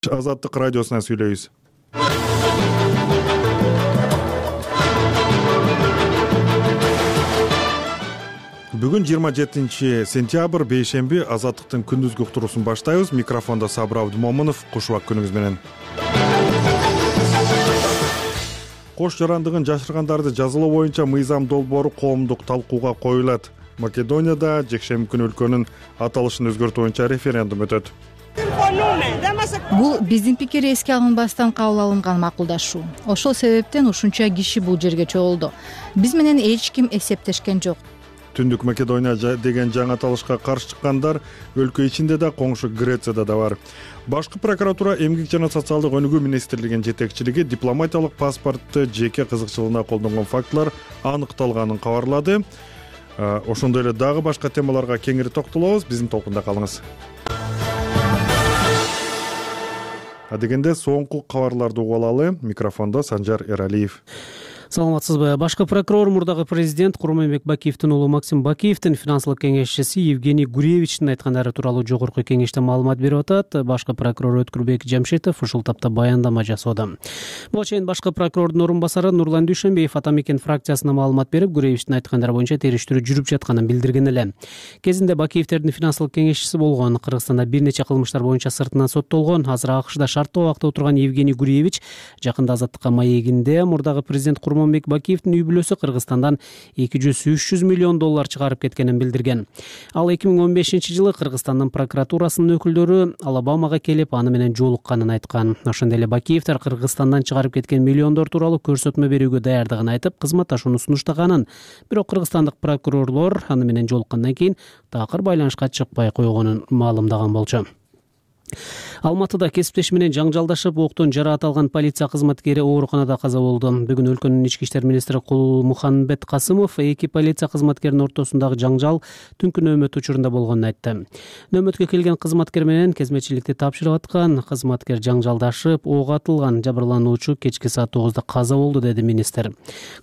Азаттык радиосунан сүйлөйбүз. Бүгүн 27-сентябрь бейшемби Азаттыктын күндүзгү уктуруусун баштайбыз. Микрофондо Сабыр Абдымомунов. Кушубак күнүңүз менен. Кош жарандыгын жашыргандарды жазалоо боюнча мыйзам долбоору коомдук талкууга коюлат. Македонияда жекшемби күнү өлкөнүн аталышын өзгөртүү боюнча референдум өтөт. Бул биздин пикир эске алынбастан кабыл алынган макулдашуу. Ошол себептен ушунча киши бул жерге чогулду. Биз менен эч ким эсептешкен жок. Түндүк Македония деген жаңы аталышка каршы чыккандар өлкө ичинде да, коңшу Грецияда да бар. Башкы прокуратура Эмгек жана социалдык өнүгүү министрлигинин жетекчилиги дипломатиялык паспортты жеке кызыкчылыгына колдонгон фактылар аныкталганын кабарлады. Ошондой эле дагы башка темаларга кеңири токтолобуз. Биздин толкунда калыңыз. Адегенде соңку кабарларды угуп алалы. Микрофондо Санжар Эралиев. Саламатсызбы? Башкы прокурор мурдагы президент Курманбек Бакиевдин уулу Максим Бакиевдин финансылык кеңешчиси Евгений Гуревичтин айткандары тууралуу жогорку кеңеште маалымат берип атат. Башкы прокурор Өткүрбек Жамшитов ушул тапта баяндама жасоодо. Буга чейин башкы прокурордун орун басары Нурлан Дүйшөнбиев Ата Мекен фракциясына маалымат берип, Гуревичтин айткандары боюнча териштирүү жүрүп жатканын билдирген эле. Кезинде Бакиевдердин финансылык кеңешчиси болгон, Кыргызстанда бир нече кылмыштар боюнча сыртынан соттолгон, азыр АКШда шарттуу абакта отурган Евгений Гуревич жакында Азаттыкка маегинде мурдагы президент Курманбек Бакиевдин үй бүлөсү Кыргызстандан 200-300 миллион доллар чыгарып кеткенин билдирген. Ал 2015-жылы Кыргызстандын прокуратурасынын өкүлдөрү Алабамага келип, аны менен жолукканын айткан. Ошондой эле Бакиевдер Кыргызстандан чыгарып кеткен миллиондор тууралуу көрсөтмө берүүгө даярдыгын айтып, кызматташууну сунуштаганын. Бирок кыргызстандык прокурорлор аны менен жолуккандан кийин такыр байланышка чыкпай койгонун маалымдаган болчу. Алматыда кесиптеши менен жаңжалдашып, октон жараат алган полиция кызматкери ооруканада каза болду. Бүгүн өлкөнүн ички иштер министри Кулмухамбет Касымов эки полиция кызматкеринин ортосундагы жаңжал түнкү нөөмөт учурунда болгонун айтты. Нөөмөткө келген кызматкер менен кезмечиликти тапшырып аткан кызматкер жаңжалдашып, ок атылган. Жабырлануучу кечки саат 9-да каза болду, деди министр.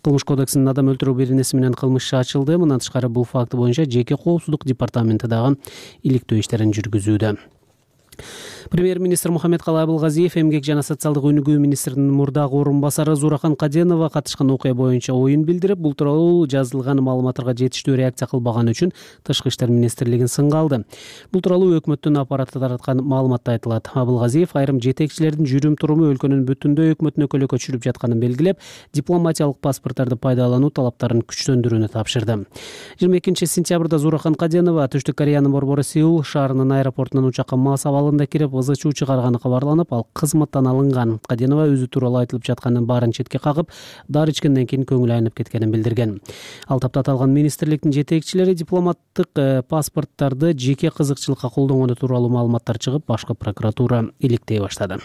Кылмыш кодексинин адам өлтүрүү беренеси менен кылмыш иши ачылды. Мындан тышкары бул факт боюнча жеке коопсуздук департаменти дагы иликтөө иштерин жүргүзүүдө. Премьер-министр Мухаммедкалый Абылгазиев Эмгек жана социалдык өнүгүү министринин мурдагы орун басары Зурахан Каденова катышкан окуя боюнча оюн билдирип, бул тууралуу жазылган маалыматтарга жетиштүү реакция кылбаганы үчүн Тышкы иштер министрлигин сынга алды. Бул тууралуу өкмөттүн аппараты тараткан маалыматта айтылат. Абылгазиев айрым жетекчилердин жүрүм-туруму өлкөнүн бүтүндөй өкмөтүнө көйгөйгө чүрүп жатканын белгилеп, дипломатиялык паспорттарды пайдалануу талаптарын күчтөндүрүүнү тапшырды. 22-сентябрда Зурахан Каденова Түштүк Кореянын борбору Сеул шаарынын аэропортунан учакка мас абалында кирип ызы-чуу чыгарганы кабарланып, ал кызматтан алынган. Каденова өзү тууралуу айтылып жатканын баарын четке кагып, дары ичкенден кийин көңүлү айнып кеткенин билдирген. Ал тапта аталган министрликтин жетекчилери дипломаттык паспорттарды жеке кызыкчылыкка колдонгону тууралуу маалыматтар чыгып, башкы прокуратура иликтей баштады.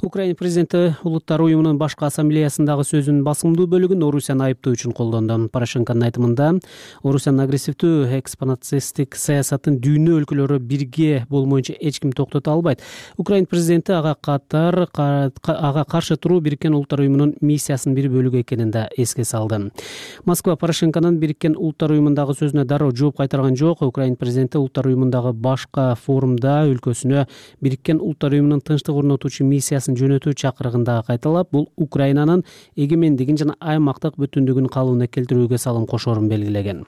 Украина президенти Улуттар уюмунун башкы ассамблеясындагы сөзүнүн басымдуу бөлүгүн Орусияны айыптоо үчүн колдонду. Порошенконун айтымында, Орусиянын агрессивдүү экспансионисттик саясатын дүйнө өлкөлөрү бирге болмоюнча эч ким токтото албайт. Украина президенти ага каршы туруу Бириккен Улуттар уюмунун миссиясынын бир бөлүгү экенин да эске салды. Москва Порошенконун Бириккен Улуттар уюмундагы сөзүнө дароо жооп кайтарган жок. Украина президенти Улуттар уюмундагы башка форумда өлкөсүнө Бириккен Улуттар уюмунун тынчтык орнотуучу миссиясын жөнөтүү чакырыгында кайталап, бул Украинанын эгемендигин жана аймактык бүтүндүгүн калыбына келтирүүгө салым кошоорун белгилеген.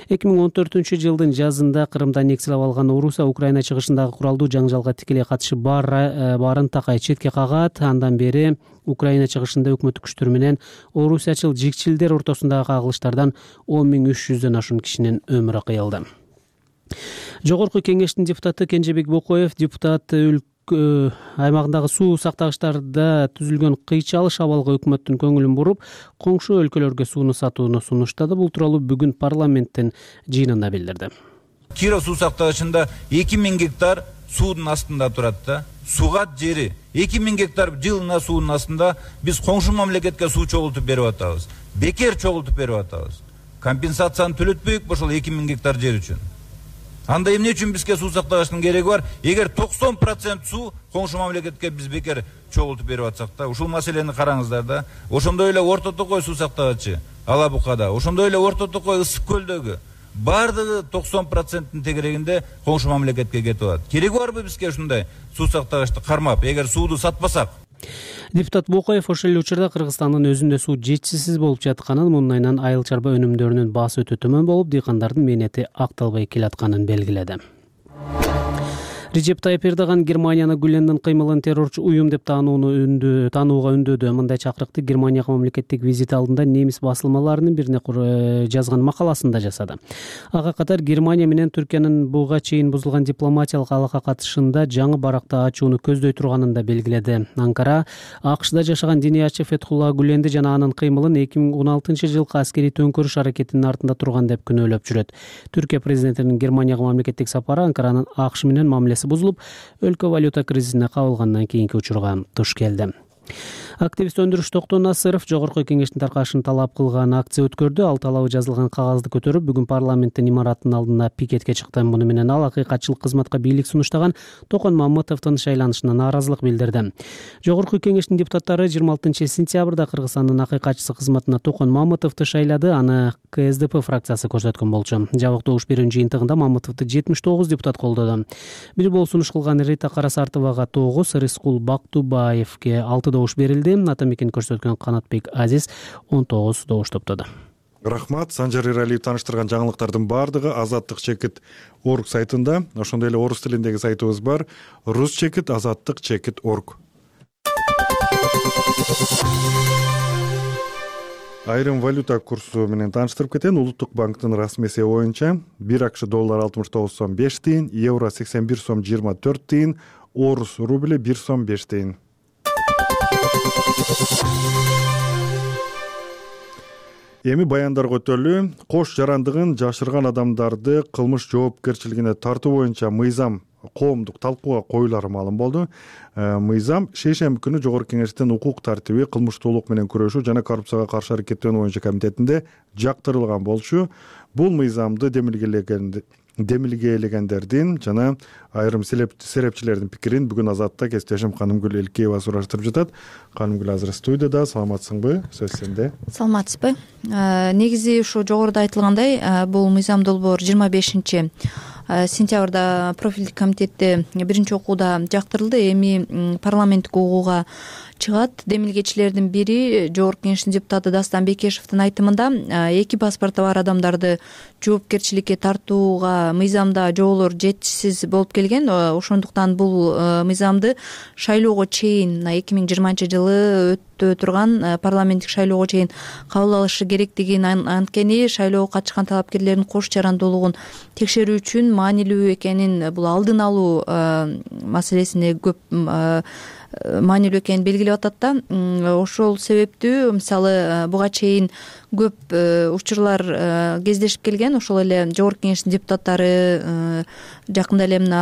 2014-жылдын жазында Крымда нексилеп алган Орусия Украина чыгышындагы куралдуу жаңжалга тикелей катышы барын такай четке кагат. Андан бери Украина чыгышында өкмөттүк күчтөр менен орусиячыл жикчилдер ортосундагы кагылыштардан 10.300дөн ашуун кишинин өмүрү кыйылды. Жогорку кеңештин депутаты Кенжебек Бокоев депутат аймагындагы суу сактагычтарда түзүлгөн кыйчалыш абалга өкмөттүн көңүлүн буруп, коңшу өлкөлөргө сууну сатууну сунуштады. Бул тууралуу бүгүн парламенттин жыйынында билдирди. Кира суу сактагычында 2000 гектар суудун астында турат да. Сугат жери 2000 гектар жылына суунун астында биз коңшу мамлекетке суу чогултуп берип атабыз. Бекер чогултуп берип атабыз. Компенсацияны төлөтпөйүк ошол 2000 гектар жер үчүн. Анда эмне үчүн бизге суу сактагычтын кереги бар? Эгер 90% суу коңшу мамлекетке биз бекер чогултуп берип атсак да, ушул маселени караңыздар да. Ошондой эле Орто Токой суу сактагычы Алабукада, ошондой эле Орто Токой Ысык көлдөгү баардыгы 90% тегерегинде коңшу мамлекетке кетип атат. Кереги барбы бизге ушундай суу сактагычты кармап, эгер сууду сатпасак? Депутат Бокоев ошол эле учурда Кыргызстандын өзүндө суу жетишсиз болуп жатканын, мунун айынан айыл чарба өнүмдөрүнүн баасы өтө төмөн болуп, дыйкандардын мээнети акталбай келатканын белгиледи. Режеп Тайып Эрдоган Германияны Гүлендин кыймылын террорчу уюм деп таанууга үндөдү. Мындай чакырыкты Германияга мамлекеттик визит алдында немис басылмаларынын бирине жазган макаласында жасады. Ага катар Германия менен Түркиянын буга чейин бузулган дипломатиялык алака катышында жаңы баракта ачууну көздөй турганын да белгиледи. Анкара АКШда жашаган диниячы Фетхулла Гүленди жана анын кыймылын 2016-жылкы аскерий төңкөрүш аракетинин артында турган деп күнөөлөп жүрөт. Түркия президентинин Германияга мамлекеттик сапары Анкаранын АКШ менен мамилеси бузулуп, өлкө валюта кризисине кабылгандан кийинки учурга туш келди. Активист өндүрүш Токтон Насыров жогорку кеңештин таркашын талап кылган акция өткөрдү. Ал талабы жазылган кагазды көтөрүп, бүгүн парламенттин имараттын алдына пикетке чыкты. Муну менен ал акыйкатчылык кызматка бийлик сунуштаган Токон Мамытовдун шайланышына нааразылык билдирди. Жогорку кеңештин депутаттары 26-сентябрда Кыргызстандын акыйкатчысы кызматына Токон Мамытовду шайлады. Аны КСДП фракциясы көрсөткөн болчу. Жабык добуш берүүнүн жыйынтыгында Мамытовду 79 депутат колдоду. Бир болуп сунуш кылган Рита Карасартовага 9, Рыскул Бактубаевге 6 добуш берилди. Атамекен көрсөткөн Канатбек Азиз 19 добуш топтоду. Рахмат. Санжар Иралиев тааныштырган жаңылыктардын баардыгы Азаттык чекит орг сайтында, ошондой эле орус тилиндеги сайтыбыз бар, рус чекит азаттык чекит орг. Айрым валюта курсу менен тааныштырып кетейин. Улуттук банктын расмий эсеби боюнча 1 акш доллар 69 сом 5 тыйын, евро 81 сом 24 тыйын, орус рубли 1 сом 5 тыйын. Эми баяндарга өтөлү. Кош жарандыгын жашырган адамдарды кылмыш жоопкерчилигине тартуу боюнча мыйзам коомдук талкууга коюлары маалым болду. Мыйзам шейшемби күнү Жогорку кеңештин укук тартиби, кылмыштуулук менен күрөшүү жана коррупцияга каршы аракеттенүү боюнча комитетинде жактырылган болчу. Бул мыйзамды демилгээлегендердин жана айрым серепчилердин пикирин бүгүн Азатта кесиптешим Канымгүл Элкеева сураштырып жатат. Канымгүл азыр студияда. Саламатсыңбы? Сөз сенде. Саламатсызбы? Негизи ушу жогоруда айтылгандай, бул мыйзам долбоор 25-сентябрда профилдик комитетте биринчи окууда жактырылды. Эми парламенттик угууга чыгат. Демилгечилердин бири Жогорку кеңештин депутаты Дастан Бекешевдин айтымында, эки паспорту бар адамдарды жоопкерчиликке тартууга мыйзамда жоболор жетишсиз болуп келген. Ошондуктан бул мыйзамды шайлоого чейин 2020-жылы өтө турган парламенттик шайлоого чейин кабыл алышы керектигин, анткени шайлоого катышкан талапкерлердин кош жарандуулугун текшерүү үчүн маанилүү экенин, бул алдын алуу маселесине көп маанилүү экенин белгилеп атат да. Ошол себептүү мисалы буга чейин көп учурлар кездешип келген. Ошол эле Жогорку кеңештин депутаттары жакында эле мына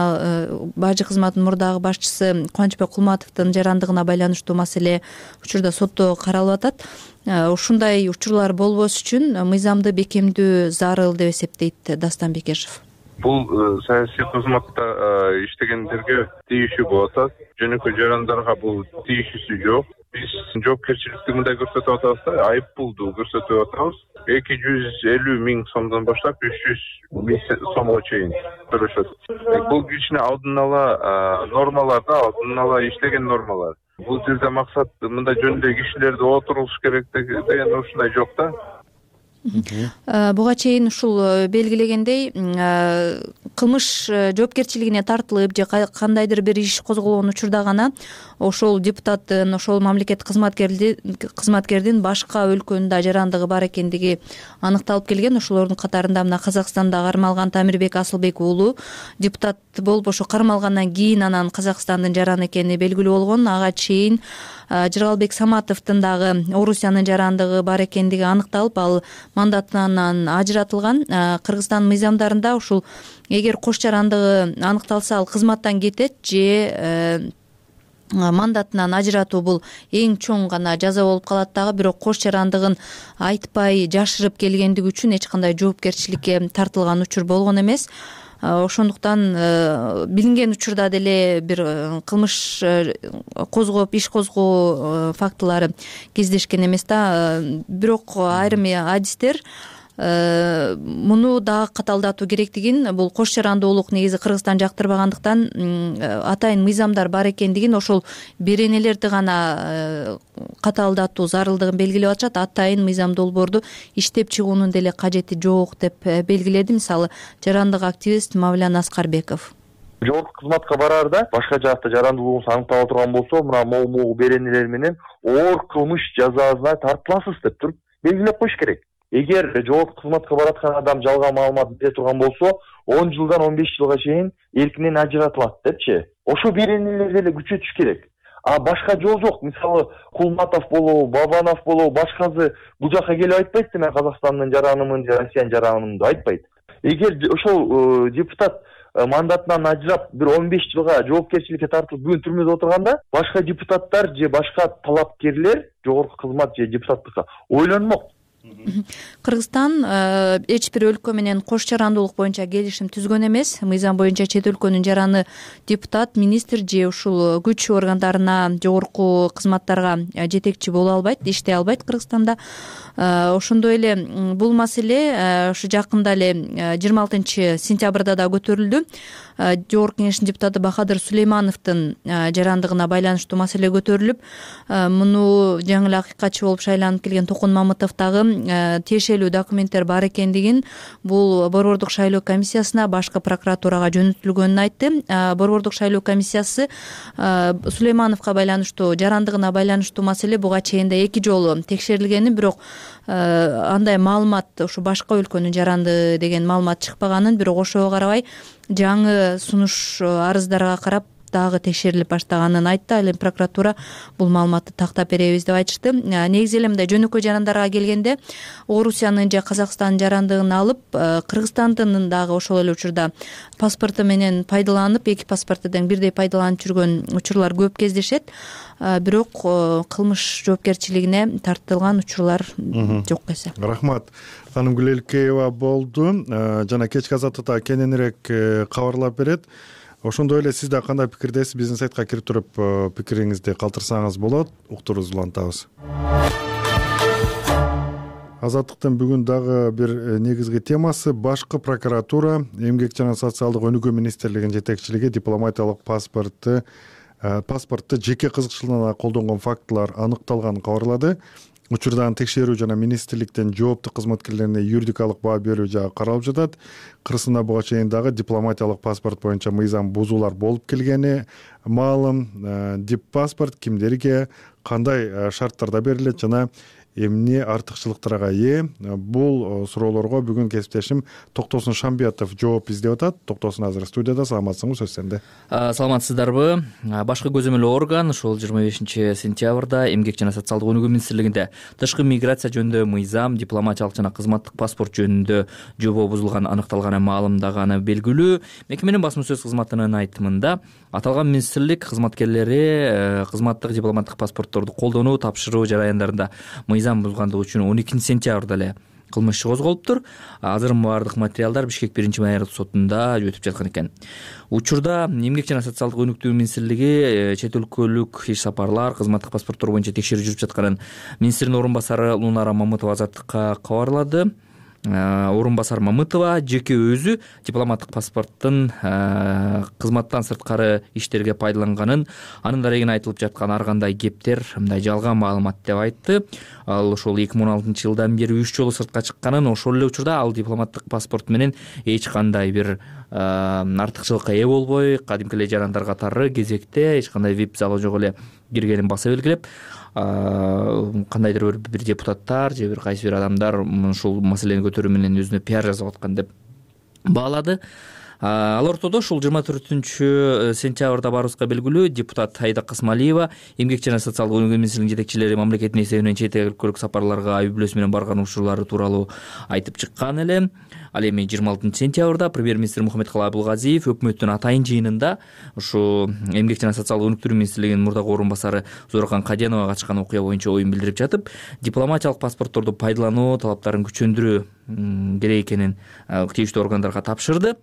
бажы кызматынын мурдагы башчысы Кубанычбек Кулматовдун жарандыгына байланыштуу маселе учурда сотто каралып атат. Ушундай учурлар болбос үчүн мыйзамды бекемдөө зарыл деп эсептейт Дастан Бекешев. Бул саясий кызматта иштегендерге тийишүү болуп атат. Жөнөкөй жарандарга бул тийишүүсү жок. Биз жоопкерчиликти мындай көрсөтүп атабыз да, айып пулду көрсөтүп атабыз. 250 миң сомдон баштап 300 миң сомго чейин төлөшөт. Бул кичине алдын ала нормалар да, алдын ала иштеген нормалар. Бул жерде максат мындай жөндөй кишилерди отурулуш керек деген ушундай жок да. Буга чейин ушул белгилегендей кылмыш жоопкерчилигине тартылып же кандайдыр бир иш козголгон учурда гана ошол депутаттын, ошол мамлекеттик кызматкердин башка өлкөндө жарандыгы бар экендиги аныкталып келген. Ошолордун катарында мына Казакстанда кармалган Тамирбек Асылбек уулу депутат болуп ошо кармалгандан кийин анан Казакстандын жараны экени белгилүү болгон. Ага чейин Жыргалбек Саматовдун дагы Орусиянын жарандыгы бар экендиги аныкталып, ал мандатынан ажыратылган. Кыргызстан мыйзамдарында ушул эгер кош жарандыгы аныкталса, ал кызматтан кетет же мандатынан ажыратуу бул эң чоң гана жаза болуп калат дагы. Бирок кош жарандыгын айтпай жашырып келгендиги үчүн эч кандай жоопкерчиликке тартылган учур болгон эмес. Ошондуктан билинген учурда деле бир кылмыш козгоп, иш козгоо фактылары кездешкен эмес да. Бирок айрым адистер муну дагы катаалдатуу керектигин, бул кош жарандуулук негизи Кыргызстан жактырбагандыктан атайын мыйзамдар бар экендигин, ошол беренелерди гана катаалдатуу зарылдыгын белгилеп атышат. Атайын мыйзам долбоорду иштеп чыгуунун деле кажети жок деп белгиледи мисалы жарандык активист Мавлян Аскарбеков. Жогорку кызматка бараарда башка жакта жарандуулугуңуз аныктала турган болсо, мына могу беренелер менен оор кылмыш жазасына тартыласыз деп туруп белгилеп коюш керек. Эгер жогорку кызматка бараткан адам жалган маалымат бере турган болсо, 10 жылдан 15 жылга чейин эркинен ажыратылат депчи. Ошо беренелерди эле күчөтүш керек. А башка жол жок. Мисалы Кулматов болобу, Бабанов болобу, башкасы бул жака келип айтпайт, мен Казакстандын жаранымын же Россиянын жаранымын деп айтпайт. Эгер ошол депутат мандатынан ажырап бир 15 жылга жоопкерчиликке тартылып бүгүн түрмөдө отурганда, башка депутаттар же башка талапкерлер жогорку кызмат же депутаттыкка ойлонмок. Кыргызстан эч бир өлкө менен кош жарандуулук боюнча келишим түзгөн эмес. Мыйзам боюнча чет өлкөнүн жараны депутат, министр же ушул күч органдарына, жогорку кызматтарга жетекчи боло албайт, иштей албайт Кыргызстанда. Ошондой эле бул маселе ушу жакында эле 26-сентябрда да көтөрүлдү. Жогорку кеңештин депутаты Бахадыр Сулеймановдун жарандыгына байланыштуу маселе көтөрүлүп, муну жаңы эле акыйкатчы болуп шайланып келген Токун Мамытовдагы тиешелүү документтер бар экендигин, бул борбордук шайлоо комиссиясына, башкы прокуратурага жөнөтүлгөнүн айтты. Борбордук шайлоо комиссиясы Сулеймановго байланыштуу, жарандыгына байланыштуу маселе буга чейин да 2 жолу текшерилгенин, бирок андай маалымат, ушу башка өлкөнүн жаранды деген маалымат чыкпаганын, бирок ошого карабай жаңы сунуш арыздарга карап дагы текшерилип баштаганын айтты. Ал эми прокуратура бул маалыматты тактап беребиз деп айтышты. Негизи эле мындай жөнөкөй жарандарга келгенде Орусиянын же Казакстандын жарандыгын алып, Кыргызстандын дагы ошол эле учурда паспорту менен пайдаланып, 2 паспортудан бирдей пайдаланып жүргөн учурлар көп кездешет. Бирок кылмыш жоопкерчилигине тартылган учурлар жок эсе. Рахмат. Ханым Гүлелкеева болду. Жана кечки азаттыкта кененирээк кабарлап берет. Ошондой эле сиз да кандай пикирдесиз? Биздин сайтка кирип туруп пикириңизди калтырсаңыз болот. Уктуруубузду улантабыз. Азаттыктын бүгүн дагы бир негизги темасы башкы прокуратура Эмгек жана социалдык өнүгүү министрлигинин жетекчилиги дипломатиялык паспортто жеке кызыкчылыгына колдонгон фактылар аныкталганын кабарлады. Учурдан текшерүү жана министрликтен жооптуу кызматкерлерине юридикалык баа берүү жагы каралып жатат. Кыргызстанда буга чейин дагы дипломатиялык паспорт боюнча мыйзам бузуулар болуп келгени маалым. Дип паспорт кимдерге, кандай шарттарда берилет жана эмне артыкчылыктарга ээ? Бул суроолорго бүгүн кесиптешим Токтосун Шамбиятов жооп издеп атат. Токтосун азыр студияда. Саламатсыңбы, сөз сенде. Саламатсыздарбы? Башкы көзөмөл орган ушул 25-сентябрда Эмгек жана социалдык өнүгүү министрлигинде тышкы миграция жөнүндө мыйзам, дипломатиялык жана кызматтык паспорт жөнүндө жобо бузулган аныкталганы маалымдаганы белгилүү. Мекеменин басма сөз кызматынын айтымында аталган министрлик кызматкерлери кызматтык дипломаттык паспортторду колдонуу, тапшыруу жараяндарында мыйзам бузгандыгы үчүн 12-сентябрда эле кылмыш иши козголуптур. Азыр баардык материалдар Бишкек 1-майрдык сотунда өтүп жаткан экен. Учурда Эмгек жана социалдык өнүктүү министрлиги чет өлкөлүк иш сапарлар, кызматтык паспорттор боюнча текшерүү жүрүп жатканын министрдин орун басары Лунара Мамытова азаттыкка кабарлады. Орун басар Мамытова жеке өзү дипломаттык паспорттун кызматтан сырткары иштерге пайдаланганын, анын дарегине айтылып жаткан ар кандай кептер мындай жалган маалымат деп айтты. Ал ошол 2016-жылдан бери 3 жолу сыртка чыкканын, ошол эле учурда ал дипломаттык паспорт менен эч кандай бир артыкчылыкка ээ болбой, кадимки эле жарандар катары кезекте эч кандай вип залы жок эле киргенин баса белгилеп, кандайдыр бир депутаттар же бир кайсы бир адамдар ушул маселени көтөрүү менен өзүнө пиар жасап аткан деп баалады. Ал ортодо ушул 24-сентябрда баарыбызга белгилүү депутат Айда Касмалиева Эмгек жана социалдык өнүгүү министрлигинин жетекчилери мамлекеттин эсебинен чет өлкөлүк сапарларга үй бүлөсү менен барган учурлары тууралуу айтып чыккан эле. Ал эми 26-сентябрда премьер-министр Мухаммедкалый Абылгазиев өкмөттүн атайын жыйынында ушу Эмгек жана социалдык өнүктүрүү министрлигинин мурдагы орун басары Зоркан Каденовага катышкан окуя боюнча оюн билдирип жатып, дипломатиялык паспортторду пайдалануу талаптарын күчөндүрүү керек экенин тийиштүү органдарга тапшырды.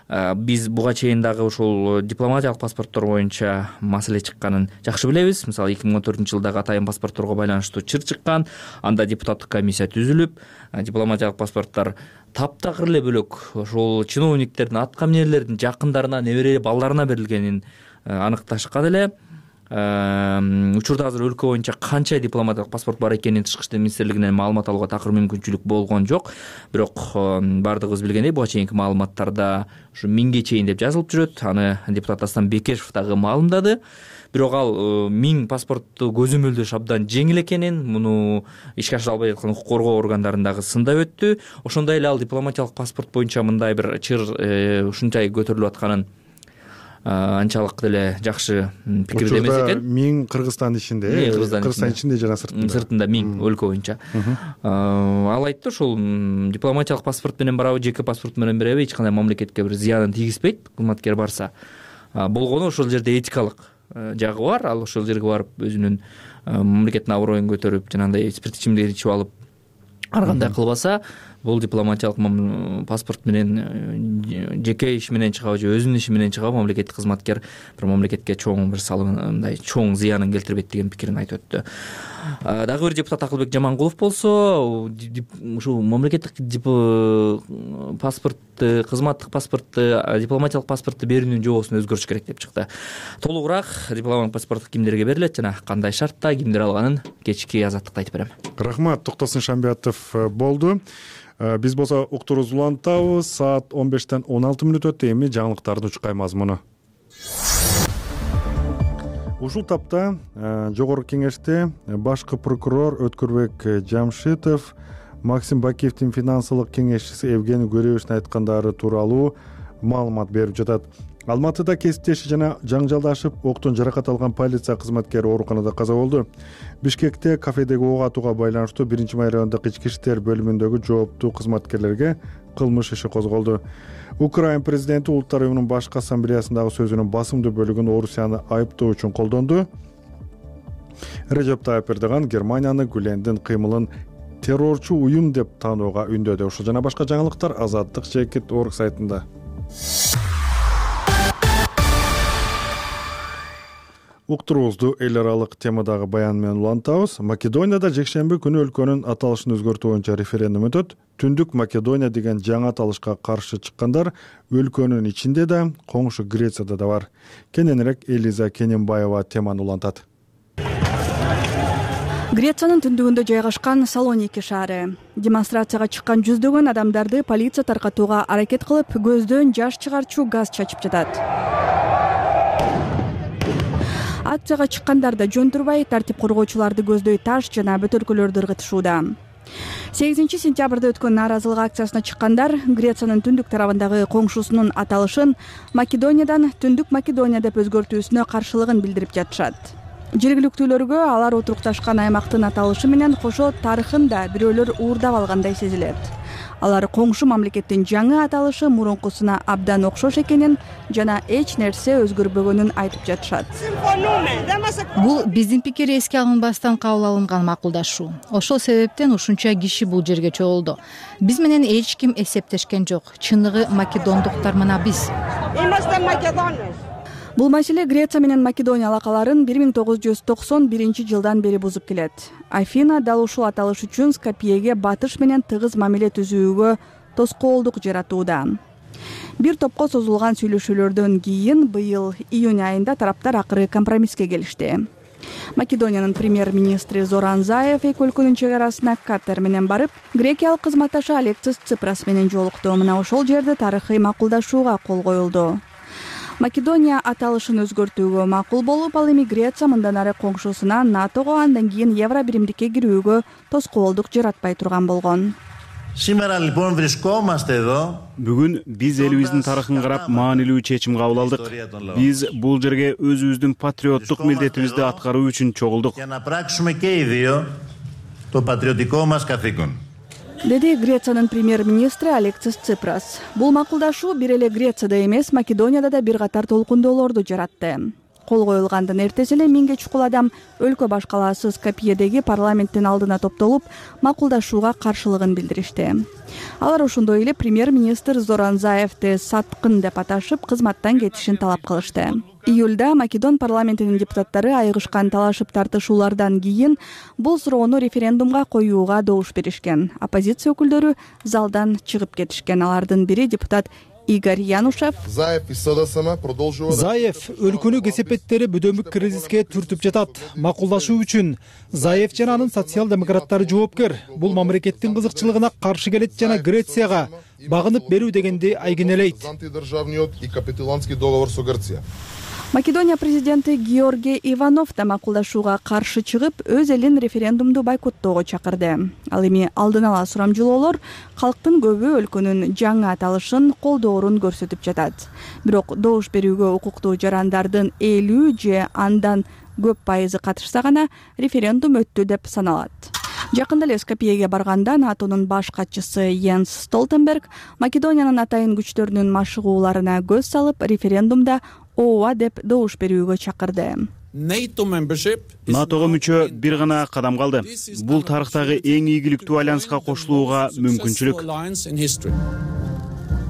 Биз буга чейин дагы ушул дипломатиялык паспорттор боюнча маселе чыкканын жакшы билебиз. Мисалы 2014-жылдагы атайын паспортторго байланыштуу чыр чыккан, анда депутаттык комиссия түзүлүп, дипломатиялык паспорттор таптакыр эле бөлөк ошол чиновниктердин, аткаминерлердин жакындарына, небере балдарына берилгенин аныкташкан эле. Учурда азыр өлкө боюнча канча дипломатиялык паспорт бар экенин Тышкы иштер министрлигинен маалымат алууга такыр мүмкүнчүлүк болгон жок. Бирок бардыгыбыз билгендей буга чейинки маалыматтарда ушу 1000ге чейин деп жазылып жүрөт. Аны депутат Дастан Бекешев дагы маалымдады. Бирок ал 1000 паспортту көзөмөлдөш абдан жеңил экенин, муну ишке ашыра албай жаткан укук коргоо органдарындагы сындап өттү. Ошондой эле ал дипломатиялык паспорт боюнча мындай бир чыр ушунчай көтөрүлүп атканын анчалык деле жакшы пикирде эмес экен. 1000 Кыргызстан ичинде, Кыргызстан ичинде жана сыртында. Сыртында 1000 өлкө боюнча. Ал айтты, ушул дипломатиялык паспорт менен барабы, жеке паспорт менен барабы, эч кандай мамлекетке бир зыянын тийгизбейт, кызматкер барса. Болгону ошол жерде этикалык жагы бар. Ал ошол жерге барып өзүнүн мамлекеттин аброюн көтөрүп, жанагындай спирт ичимдик ичип алып ар кандай кылбаса, бул дипломатиялык паспорт менен жеке иш менен чыгабы же өзүнүн иши менен чыгабы мамлекеттик кызматкер бир мамлекетке чоң бир мындай чоң зыянын келтирбейт деген пикирин айтып өттү. Дагы бир депутат Акылбек Жамангулов болсо ушул мамлекеттик паспортты, кызматтык паспортты, дипломатиялык паспортты берүүнүн жобосун өзгөртүш керек деп чыкты. Толугураак дипломатиялык паспорт кимдерге берилет жана кандай шартта кимдер алганын кечки азаттыкта айтып берем. Рахмат, Токтосун Шамбиятов болду. Биз болсо уктуруубузду улантабыз. Саат 15-тен 16 өттү. Эми жаңылыктардын учкай мазмуну. Ушул тапта жогорку кеңеште башкы прокурор Өткүрбек Жамшитов Максим Бакиевдин финансылык кеңешчиси Евгений Гуревичтин айткандары тууралуу маалымат берип жатат. Алматыда кесиптеши жана жаңжалдашып, октон жаракат алган полиция кызматкери ооруканада каза болду. Бишкекте кафедеги ок атууга байланыштуу 1-май райондук ички иштер бөлүмүндөгү жооптуу кызматкерлерге кылмыш иши козголду. Украина президенти Улуттар уюмунун башкы ассамблеясындагы сөзүнүн басымдуу бөлүгүн Орусияны айыптоо үчүн колдонду. Режеп Тайып Эрдоган Германияны Гүлендин кыймылын террорчу уюм деп таанууга үндөдү. Ошол жана башка жаңылыктар Азаттык.org сайтында. Уктуруубузду эл аралык темадагы баян менен улантабыз. Македонияда жекшемби күнү өлкөнүн аталышын өзгөртүү боюнча референдум өтөт. Түндүк Македония деген жаңы аталышка каршы чыккандар өлкөнүн ичинде да, коңшу Грецияда да бар. Кененирээк Элиза Кененбаева теманы улантат. Грециянын түндүгүндө жайгашкан Салоники шаары. Демонстрацияга чыккан жүздөгөн адамдарды полиция таркатууга аракет кылып, көздөн жаш чыгарчу газ чачып жатат. Акцияга чыккандар да жөн турбай, тартип коргоочуларды көздөй таш жана бөтөлкөлөрдү ыргытышууда. 8-сентябрда өткөн нааразылык акциясына чыккандар Грециянын түндүк тарабындагы коңшусунун аталышын Македониядан Түндүк Македония деп өзгөртүүсүнө каршылыгын билдирип жатышат. Жергиликтүүлөргө алар отурукташкан аймактын аталышы менен кошо тарыхын да бирөөлөр уурдап алгандай сезилет. Алар коңшу мамлекеттин жаңы аталышы мурункусуна абдан окшош экенин жана эч нерсе өзгөрбөгөнүн айтып жатышат. Бул биздин пикир эске алынбастан кабыл алынган макулдашуу. Ошол себептен ушунча киши бул жерге чогулду. Биз менен эч ким эсептешкен жок. Чыныгы македондуктар мына биз. Бул маселе Греция менен Македония алакаларын 1991-жылдан бери бузуп келет. Афина дал ушул аталыш үчүн Скопьеге батыш менен тыгыз мамиле түзүүгө тоскоолдук жаратууда. Бир топко созулган сүйлөшүүлөрдөн кийин быйыл июнь айында тараптар акыры компромисске келишти. Македониянын премьер-министри Зоран Заев эки өлкөнүн чек арасына катер менен барып, грекиялык кызматташы Алексис Ципрас менен жолукту. Мына ошол жерде тарыхый макулдашууга кол коюлду. Македония аталышын өзгөртүүгө макул болуп, ал эми Греция мындан ары коңшусуна НАТОго, андан кийин Евро биримдикке кирүүгө тоскоолдук жаратпай турган болгон. Бүгүн биз элибиздин тарыхын карап маанилүү чечим кабыл алдык. Биз бул жерге өзүбүздүн патриоттук милдетибизди аткаруу үчүн чогулдук. Деди Грециянын премьер-министри Алексис Ципрас. Бул макулдашуу бир эле Грецияда эмес, Македонияда да бир катар толкундоолорду жаратты. кол коюлгандын эртеси эле 1000 чукул адам өлкө баш калаасы Скопьедеги парламенттин алдына топтолуп макулдашууга каршылыгын билдиришти. Алар ошондой эле премьер-министр Зоран Заевди саткын деп аташып, кызматтан кетишин талап кылышты. Июлда Македон парламентинин депутаттары айыгышкан талашып тартышуулардан кийин бул суроону референдумга коюуга добуш беришкен. Оппозиция өкүлдөрү залдан чыгып кетишкен. Алардын бири депутат Игорь Янушев. Заев өлкөнү кесепеттери бүдөмүк кризиске түртүп жатат. Макулдашуу үчүн Заев жана анын социал-демократтары жоопкер. Бул мамлекеттин кызыкчылыгына каршы келет жана Грецияга багынып берүү дегенди айгинелейт. Македония президенти Георгий Иванов да макулдашууга каршы чыгып, өз элин референдумду бойкоттоого чакырды. Ал эми алдын ала сурамжылоолор калктын көбү өлкөнүн жаңы аталышын колдоорун көрсөтүп жатат. Бирок добуш берүүгө укуктуу жарандардын 50 же андан көп пайызы катышса гана референдум өттү деп саналат. Жакында эле Скопьеге барганда НАТОнун баш катчысы Йенс Столтенберг Македониянын атайын күчтөрүнүн машыгууларына көз салып, референдумда ооба деп добуш берүүгө чакырды. НАТОго мүчө бир гана кадам калды. Бул тарыхтагы эң ийгиликтүү альянска кошулууга мүмкүнчүлүк.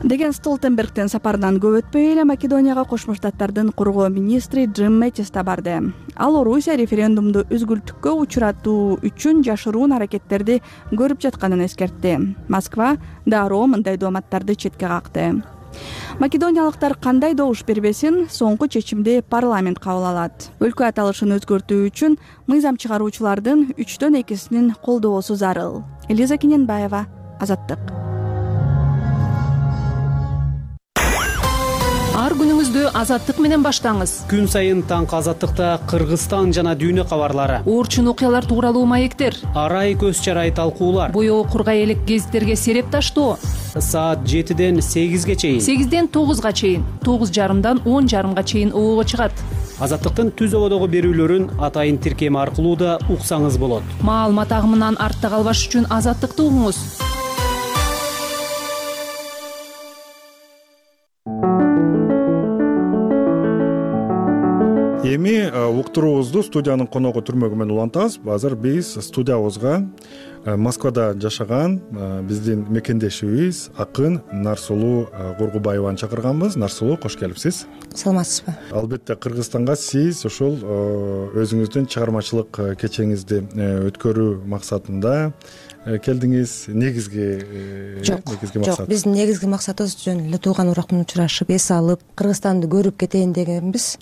Деген Столтенбергдин сапарынан көп өтпөй эле Македонияга Кошмо Штаттардын коргоо министри Джим Мэттис да барды. Ал Орусия референдумду үзгүлтүккө учуратуу үчүн жашыруун аракеттерди көрүп жатканын эскертти. Москва дароо мындай дооматтарды четке какты. Македониялыктар кандай добуш бербесин, соңку чечимди парламент кабыл алат. Өлкө аталышын өзгөртүү үчүн мыйзам чыгаруучулардын 3/2 колдоосу зарыл. Элиза Кененбаева, Азаттык. Ар күнүңүздү Азаттык менен баштаңыз. Күн сайын таңкы Азаттыкта Кыргызстан жана дүйнө кабарлары, Оорчун окуялар тууралуу маектер, арай көз чарай талкуулар, боёо кургай элек гезиттерге сереп таштоо. Саат 7ден 8ге чейин, 8ден 9га чейин, 9:30дан 10:30га чейин оого чыгат. Азаттыктын түз ободогу берүүлөрүн атайын тиркеми аркылуу да уксаңыз болот. Маалымат агымынан артта калбаш үчүн Азаттыкты угуңуз. Эми уктуруубузду студиянын коногу түрмөгү менен улантабыз. Азыр биз студиябызга Москвада жашаган биздин мекендешибиз акын Нарсулуу Кургубаеваны чакырганбыз. Нарсулуу, кош келипсиз. Саламатсызбы? Албетте Кыргызстанга сиз ошол өзүңүздүн чыгармачылык кечеңизди өткөрүү максатында келдиңиз. Негизги максат? Жок, биздин негизги максатыбыз жөн эле тууган урак менен учурашып, эс алып, Кыргызстанды көрүп кетейин дегенбиз.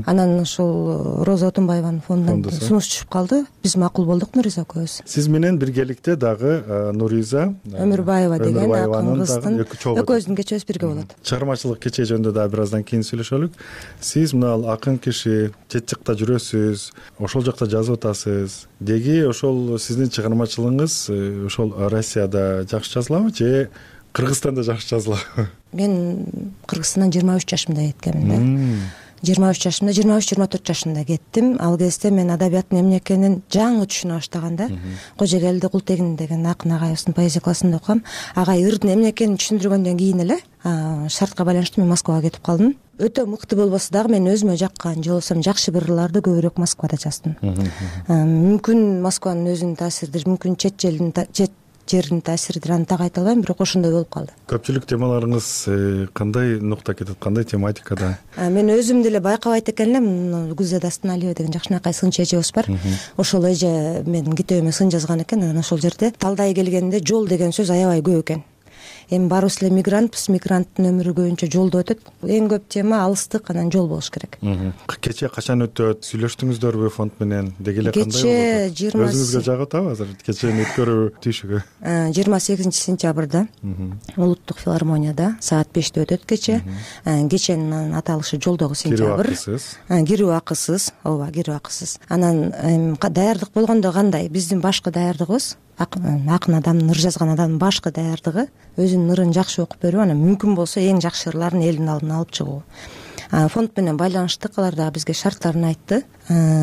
Анан ошол Роза Отунбаеванын фондунан сунуш түшүп калды. Биз макул болдук Нуриза экөөбүз. Сиз менен биргеликте дагы Нуриза Өмүрбаева деген акын кыздын экөөбүздүн кечебиз бирге болот. Чыгармачылык кече жөнүндө дагы бир аздан кийин сүйлөшөлүк. Сиз мына акын киши, чет жакта жүрөсүз, ошол жакта жазып атасыз. Деги ошол сиздин чыгармачылыгыңыз ошол Россияда жакшы жазылабы же Кыргызстанда жакшы жазылабы? Мен Кыргызстандан 23 жашымда кеткенмин. 23 жашымда, 23-24 жашымда кеттим. Ал кезде мен адабияттын эмне экенин жаңы түшүнө баштаганда, Кожогелди Култегин деген акын агайыбыздын поэзия классында окугам. Агай ырдын эмне экенин түшүндүргөндөн кийин эле шартка байланыштуу мен Москвага кетип калдым. Өтө мыкты болбосо дагы мен өзүмө жаккан же болбосо жакшы бир ырларды көбүрөөк Москвада жаздым. Мүмкүн Москванын өзүнүн таасиридир, мүмкүн чет жердин таасиридир, аны так айта албайм, бирок ошондой болуп калды. Көпчүлүк темаларыңыз кандай нукта кетет, кандай тематикада? Мен өзүм деле байкабайт экен элем. Гүлзада Станалиева деген жакшынакай сынчы эжебиз бар. Ошол эже менин китебиме сын жазган экен. Анан ошол жерде талдай келгенде жол деген сөз аябай көп экен. Эми баарыбыз эле мигрантпыз, мигранттын өмүрү көбүнчө жолдо өтөт. Эң көп тема алыстык, анан жол болуш керек. Кече качан өтөт? Сүйлөштүңүздөрбү фонд менен? Деги эле кандай болду? Кече өзүңүзгө жагып атабы азыр кеченин өткөрүү тийшүгү? 28 сентябрда Улуттук филармонияда саат 5-те өтөт кече. Кеченин аталышы жолдогу сентябрь. Кирүү акысыз, ооба, кирүү акысыз. Анан даярдык болгондо кандай? Биздин башкы даярдыгыбыз акын адамдын ыр жазган адамдын башкы даярдыгы өзүнүн ырын жакшы окуп берип, анан мүмкүн болсо эң жакшы ырларын элдин алдына алып чыгуу. Фонд менен байланыштык, алар дагы бизге шарттарын айтты.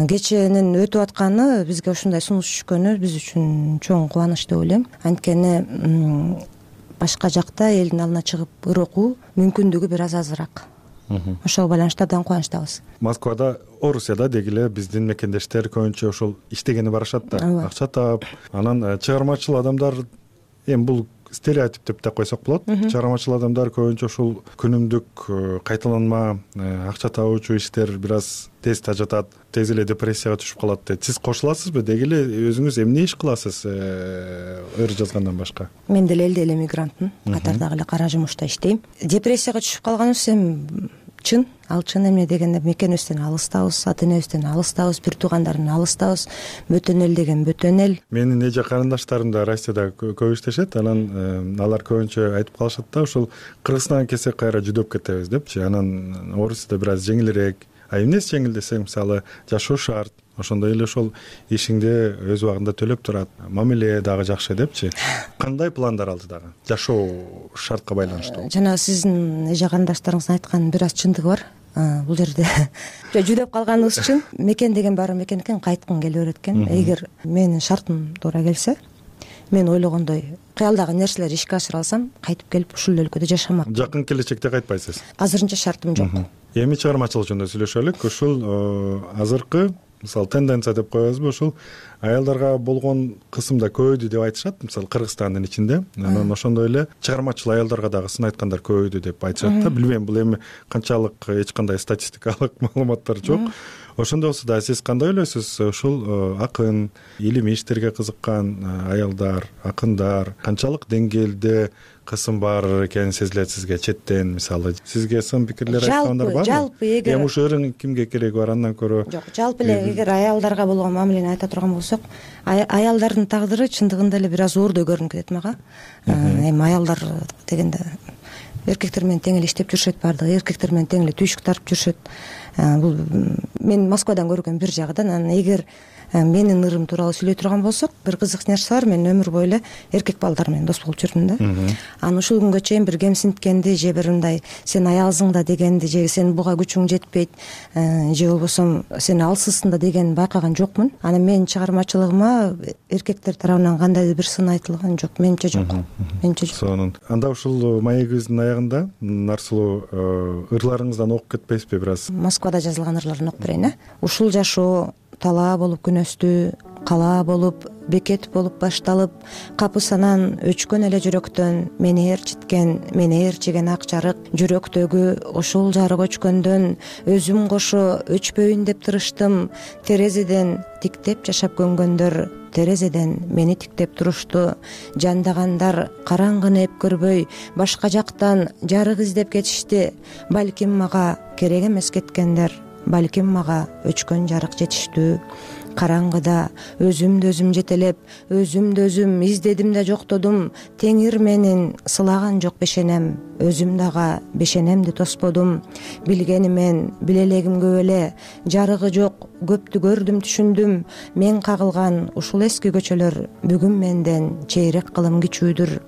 Кеченин өтүп атканы, бизге ушундай сунуш түшкөнү биз үчүн чоң кубаныч деп ойлойм. Анткени башка жакта элдин алдына чыгып ыр окуу мүмкүндүгү бир аз азыраак. ошого байланыштуу абдан кубанычтабыз. Москвада, Орусияда деги эле биздин мекендештер көбүнчө ошол иштегени барышат да, акча таап, анан чыгармачыл адамдар, эми бул стереотип деп да койсок болот. Чыгармачыл адамдар көбүнчө ушул күнүмдүк кайталанма акча табуучу иштер бир аз тез тажатат, тез эле депрессияга түшүп калат дейт. Сиз кошуласызбы? Деги эле өзүңүз эмне иш кыласыз ыр жазгандан башка? Мен деле элдей эле мигрантмын, катардагы эле кара жумушта иштейм. Депрессияга түшүп калганыбыз эми чын, ал чын. Эмне дегенде мекенибизден алыстабыз, ата энебизден алыстабыз, бир туугандардан алыстабыз. Бөтөн эл деген бөтөн эл. Менин эже карындаштарым да Россияда көп иштешет, анан алар көбүнчө айтып калышат да, ушул Кыргызстанга келсек кайра жүдөп кетебиз депчи. Анан Орусияда бир аз жеңилирээк. А эмнеси жеңил десең, мисалы, жашоо шарт, ошондой эле ошол ишиңди өз убагында төлөп турат, мамиле дагы жакшы депчи. Кандай пландар алдыдагы жашоо шартка байланыштуу? Жана сиздин эже карындаштарыңыздын айтканынын бир аз чындыгы бар. Бул жерде жүдөп калганыбыз чын. Мекен деген баары мекен экен, кайткың келе берет экен. Эгер менин шартым туура келсе, мен ойлогондой кыялдагы нерселерди ишке ашыра алсам, кайтып келип ушул өлкөдө жашамак. Жакын келечекте кайтпайсыз? Азырынча шартым жок. Эми чыгармачылык жөнүндө сүйлөшөлүк. Ушул азыркы, мисалы, тенденция деп коебузбу, ушул аялдарга болгон кысым да көбөйдү деп айтышат, мисалы Кыргызстандын ичинде. Анан ошондой эле чыгармачыл аялдарга дагы сын айткандар көбөйдү деп айтышат да. Билбейм, бул эми канчалык эч кандай статистикалык маалыматтар жок. Ошондой болсо да сиз кандай ойлойсуз? Ушул акын, илимий иштерге кызыккан аялдар, акындар канчалык деңгээлде кысым бар экени сезилет сизге четтен? Мисалы, сизге сын пикирлер айткандар барбы? Жалпы эгер ушу өрүң кимге кереги бар андан көрө? Жок, жалпы эле эгер аялдарга болгон мамилени айта турган болсок, аялдардын тагдыры чындыгында эле бир аз оордой көрүнүп кетет мага. Эми аялдар дегенде эркектер менен тең эле иштеп жүрүшөт, баардыгы эркектер менен тең эле түйшүк тартып жүрүшөт. Бул мен Москвадан көргөн бир жагы да. Анан эгер менин ырым тууралуу сүйлөй турган болсок, бир кызык нерсе бар. Мен өмүр бою эле эркек балдар менен дос болуп жүрдүм да. Анан ушул күнгө чейин бир кемсинткенди же бир мындай сен аялсың да дегенди, же сен буга күчүң жетпейт, же болбосо сен алсызсың да дегенди байкаган жокмун. Анан менин чыгармачылыгыма эркектер тарабынан кандайдыр бир сын айтылган жок, менимче жок. Менимче жок. Сонун. Анда ушул маегибиздин аягында Нарсулуу ырларыңыздан окуп кетпейсизби бир аз? Москвада жазылган ырларын окуп берейин. Ушул жашоо талаа болуп күнөстүү, калаа болуп, бекет болуп башталып, капысанан өчкөн эле жүрөктөн мени ээрчиткен, мени ээрчиген ак жарык, жүрөктөгү ошол жарык өчкөндөн өзүм кошо өчпөйүн деп тырыштым. Терезеден тиктеп жашап көнгөндөр терезеден мени тиктеп турушту. Жандагандар караңгыны эп көрбөй, башка жактан жарык издеп кетишти. Балким мага керек эмес кеткендер, балким мага өчкөн жарык жетиштүү. Караңгыда өзүмдү өзүм жетелеп, өзүмдү өзүм издедим да жоктодум. Теңир менин сылаган жок бешенем, өзүм дагы бешенемди тосподум. Билгенимен билелегим көп эле, жарыгы жок, көптү көрдүм, түшүндүм. Мен кагылган ушул эски көчөлөр бүгүн менден чейрек кылым кичүүдүр.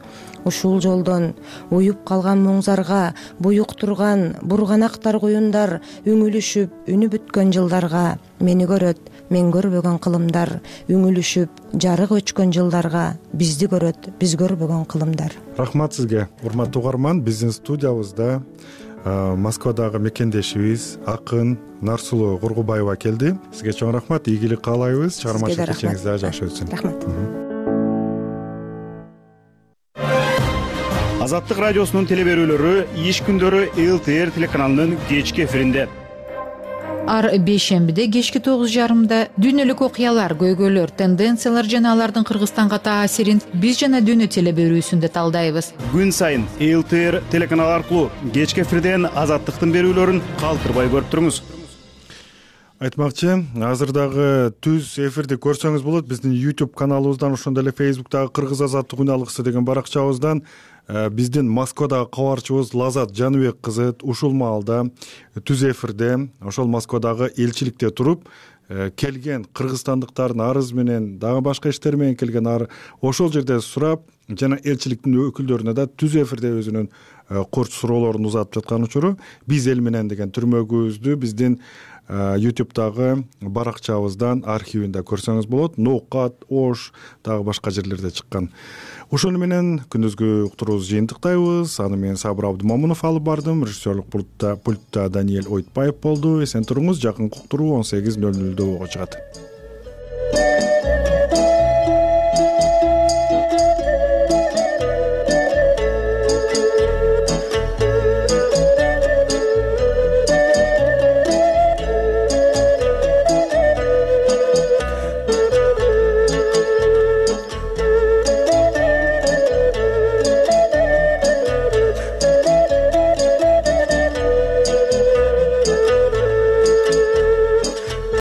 Ушул жолдон уюп калган муңзарга, буюк турган бурганактар куюндар, үңүлүшүп, үнү бүткөн жылдарга, мени көрөт, мен көрбөгөн кылымдар, үңүлүшүп, жарык өчкөн жылдарга, бизди көрөт, биз көрбөгөн кылымдар. Рахмат сизге, урматтуу угарман. Биздин студиябызда Москвадагы мекендешибиз акын Нарсулуу Кургубаева келди. Сизге чоң рахмат, ийгилик каалайбыз. Чыгармачылык кечиңиз дагы жакшы өтсүн. Рахмат. Азаттык радиосунун теле берүүлөрү иш күндөрү ЛТР телеканалынын кечки эфиринде. Ар бейшембиде кечки 9:30 дүйнөлүк окуялар, көйгөйлөр, тенденциялар жана алардын Кыргызстанга таасирин биз жана дүйнө теле берүүсүндө талдайбыз. Күн сайын ЛТР телеканалы аркылуу кечки эфирден Азаттыктын берүүлөрүн калтырбай көрүп туруңуз. Айтмакчы, азыр дагы түз эфирди көрсөңүз болот. Биздин YouTube каналыбыздан, ошондой эле Facebooктагы Кыргыз азаттык үн алгысы деген баракчабыздан биздин Москвадагы кабарчыбыз Лазат Жаныбек кызы ушул маалда түз эфирде ошол Москвадагы элчиликте туруп келген кыргызстандыктардын арыз менен, дагы башка иштер менен келген ошол жерде сурап, жана элчиликтин өкүлдөрүнө да түз эфирде өзүнүн курч суроолорун узатып жаткан учуру биз эл менен деген түрмөгүбүздү биздин YouTube'дагы баракчабыздан архивинде көрсөңүз болот. Ноокат, Ош, дагы башка жерлерде чыккан. Ошону менен күндүзгү уктуруубузду жыйынтыктайбыз. Аны мен Сабыр Абдымомунов алып бардым. Режиссерлук пультта Даниэль Ойтбаев болду. Эсен туруңуз. Жакынкы уктуруу 18:00 болго чыгат.